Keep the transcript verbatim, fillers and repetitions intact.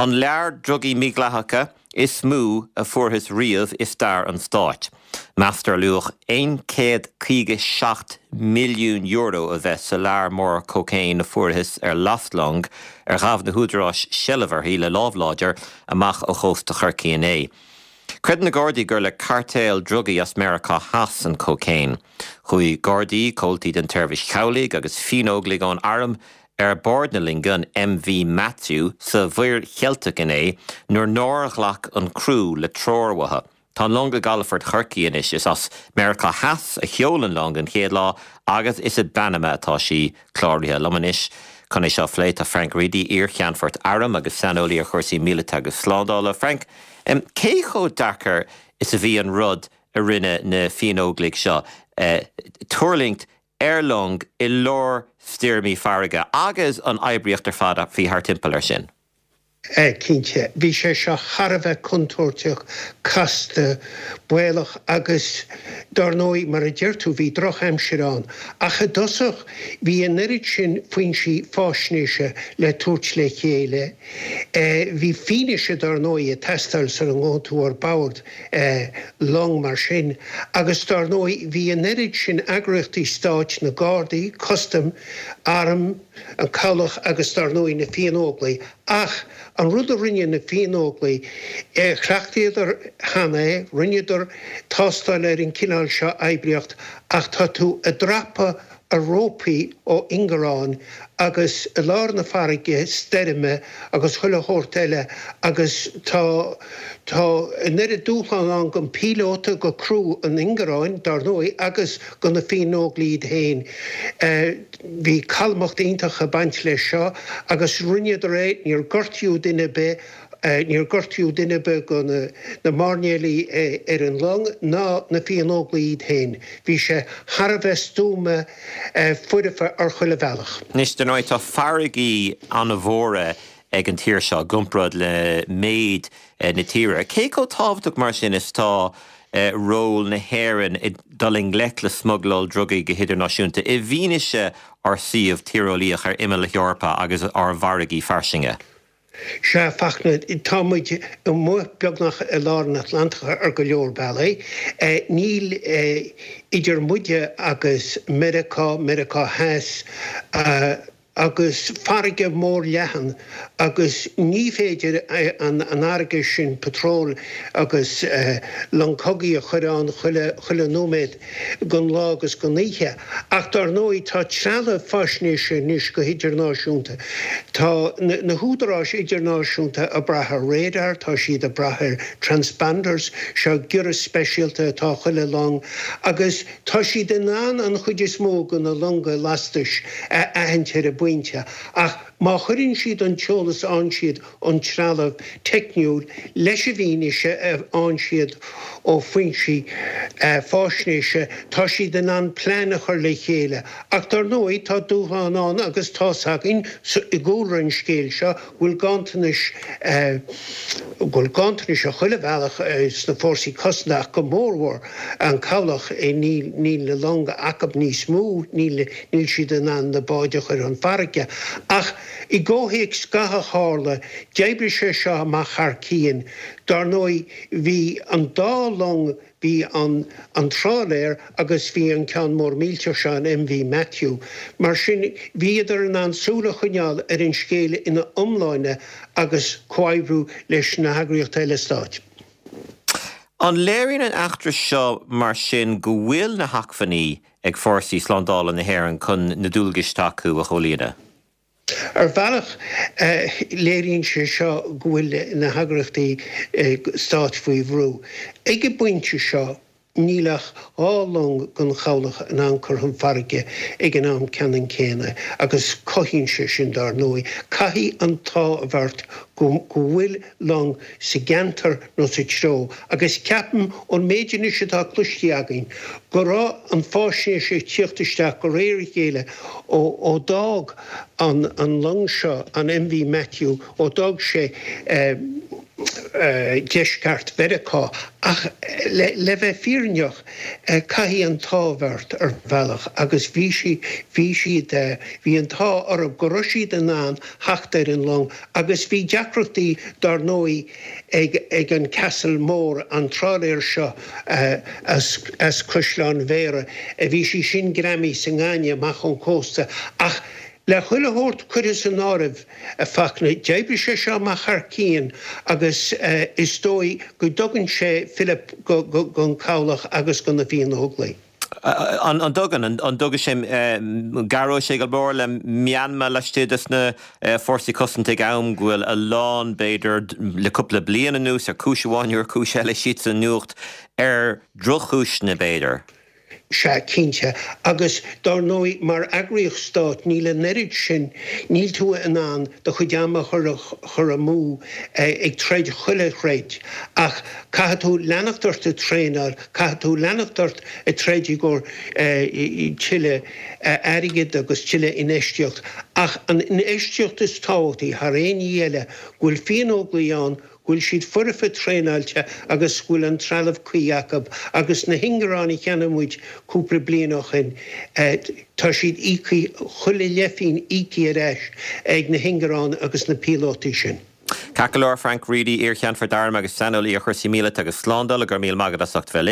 An lear drugaí mídhleathacha is mó a fuarthas riamh i stair an stáit. Meastar luach aon chéad caoga seacht milliún euro a bheith sa lear mór cócaon a fuarthas ar lastlong ar ghabh na húdaráis seilbh uirthi le lámh láidir amach ó chósta Chorcaí inné. Creideann na Gardaí gur le cairtéal drugaí as Meiriceá Theas an cócaon. Chuaigh Gardaí comhaltaí den tseirbhís chabhlaigh agus fiannóglaigh ón arm ar bord na loinge an MV Matthew sa Mhuir Cheilteach inné nuair nár ghlac an criú le treoir uathu. Tá an long i gcalafort Chorcaí anois is as Meiriceá Theas a sheol an long an chéad lá agus is i bPanama atá sí cláraithe liom anois. Chun é seo a phlé tá Frank Reidy iar-cheannfort airm agus saineolaí ar chúrsaí míleata agus slándála. Frank, cé chomh deacair is a bhí an rud a rinne na fiannóglaigh seo tuirlingt ar long i lár stoirmí farraige agus an oibríocht ar fad a bhí thart timpeall air sin. Cinnte, bhí sé seo thar a bheith contúirteach, casta, baolach agus dar ndóigh mar a deir tú bhí drochaimsir ann. Ach i dtosach bhí an oiread sin foinsí faisnéise le tabhairt le chéile. Bhí fianaise dar ndóigh ag teastáil sula ngabhann tú ar bord long mar sin agus dar ndóigh bhí an oiread sin eagraíochtaí stáit na Gardaí, Custaim, Arm, an Cabhlach agus dar ndóigh na Fiannóglaigh ach an rud a rinne na Fiannóglaigh chleachtaíodar cheana é, rinneadar tástáil ar an cineál seo oibríocht ach tá tú ag dreapadh ar rópaí ó ingearán agus i lár na farraige stoirme agus chuile shórt eile agus tá tá an oiread dúshlán ann don phíolóta go criú an ingearáin dar ndóigh agus do na Fiannóglaigh iad féin. Bhí calmacht iontach ag baint leis seo agus rinneadar é níor gortaíodh duine ar bith níor gortaíodh duine ar bith de na mairnéalaigh ar an long ná na Fiannóglaigh iad féin. Bhí sé thar a bheith stuama foirfe ar chuile bhealach. Anois dar ndóigh tá farraigí an-mhóra ag an tír seo i gcomparáid le méid na tíre. Cé chomh tábhachtach mar sin is tá ról na hÉireann i dul i ngleic le smugláil drugaí go hidirnáisiúnta i bhfianaise ár suíomh tíreolaíoch ar imeall na hEorpa agus ár bhfarraigí fairsinge. Sea Fachtna tá muid amuigh beagnach i lár an Atlantach ar go leor bealaí. Níl idir muide agus Meiriceá, Meiriceá Theas, agus farraige mór leathan agus ní féidir an fharraige sin patról agus long cogaidh a chur ann chuile chuile nóiméad den lá agus den oíche. Ach dar ndóigh tá trealamh faisnéise anois go hidirnáisiúnta. Tá na húdaráis idirnáisiúnta ag brath ar radar, tá siad ag brath ar transponders, seo giorras speisialta atá chuile long agus tá siad in ann an chuid is mó de na longa lastais a aithint ar an bpointe. Ach má chuireann siad an t-eolas a fhaigheann siad ón trealamh teicniúil leis an bhfianaise a fhaigheann siad ó fhoinsí faisnéise, tá siad in ann plean a chur le chéile. Ach dar ndóigh tá dúshlán ann agus tá's againn i gcúlra an scéil seo go bhfuil ganntanais go bhfuil ganntanais ar chuile bhealach sna fórsaí cosanta ach go mórmhór an cabhlach níl níl na longa acu níos mó, níl níl siad in ann na báid a chur chun farraige. Ach i gcomhthéacs gach a tharla, d'oibrigh sé seo amach thar cionn. Dar ndóigh bhí an dá long, bhí an an trálaer agus bhí an ceann mór millteach seo, an MV Matthew. Mar sin bhíodar in ann súil a choinneáil ar an scéal ina iomláine agus comhoibriú leis na heagraíochtaí eile stáit. An léiríonn an eachtra seo mar sin go bhfuil na hacmhainní ag fórsaí slándála na hÉireann chun na dualgais atá acu a chomhlíonadh? Ar bhealach, léiríonn sé seo go bhfuil na heagraíochtaí stáit faoi bhrú. Ag an bpointe seo, níl ach dhá long den chabhlach in ann cur chun farraige ag an am ceannann céanna agus cothaíonn sé sin, dar ndóigh. Caithfidh an t-ádh a bheith ort go bhfuil long sa gceantar nó sa treo agus ceapaim, ón méid anois atá cloiste againn, go raibh an fáisnéis ag tíocht isteach de réir a chéile ó d'fhág an long seo, an MV Matthew, ó d'fhág sé. Deisceart Mheiriceá ach le, le bheith fírinneach caithfidh an t-ádh ort ar bhealach agus bhí sí bhí siad bhí an t-ádh orthu go raibh siad in ann theacht ar an long agus bhí deacrachtaí dar ndóigh ag ag an Castle Mór an trálaer seo as as Caisleán Bhéarra a bhí sí sin greamaithe sa ngaineamh amach ón cósta ach le chuile shórt curtha san áireamh a Fhachtna d'oibrigh sé seo amach thar cionn agus is dóigh go dtugann sé fillip don chabhlach agus do na Fianna-Óglaigh. An dtugann an dtugann sé cabhróidh sé go mór le meanma laistigh de na fórsaí cosanta ag am go bhfuil a lán b'fhéidir le cúpla bliain anuas ar chúis amháin ar chúis eile siad sa nuacht ar drochchúiseanna b'fhéidir. Sea, cinnte. Agus dar ndóigh mar eagraíocht stáit níl an oiread sin, níl tú in ann do chuid ama a chur amú ag troid chuile throid ach caithfidh tú leanacht ort ag traenáil, caithfidh tú leanacht ort ag troid i gcomhair tuilleadh airgid agus tuilleadh infheistíocht. Ach an infheistíocht is tábhachtaí thar aon ní eile, go bhfuil Fianna-Óglaigh ann, go bhfuil siad foirfe traenáilte agus go bhfuil an trealamh cuí acu agus na hingearáin a cheannaigh muid cúpla bliain ó shin, tá siad íoctha, chuile leathphingin íoctha ar ais ag na hingearáin agus na píolótaí sin. Ceart go leor, Frank Reidy, iar-Cheannfort Airm agus saineolaí ar chúrsaí míleata agus slándála, go raibh míle maith agat as ucht bheith linn.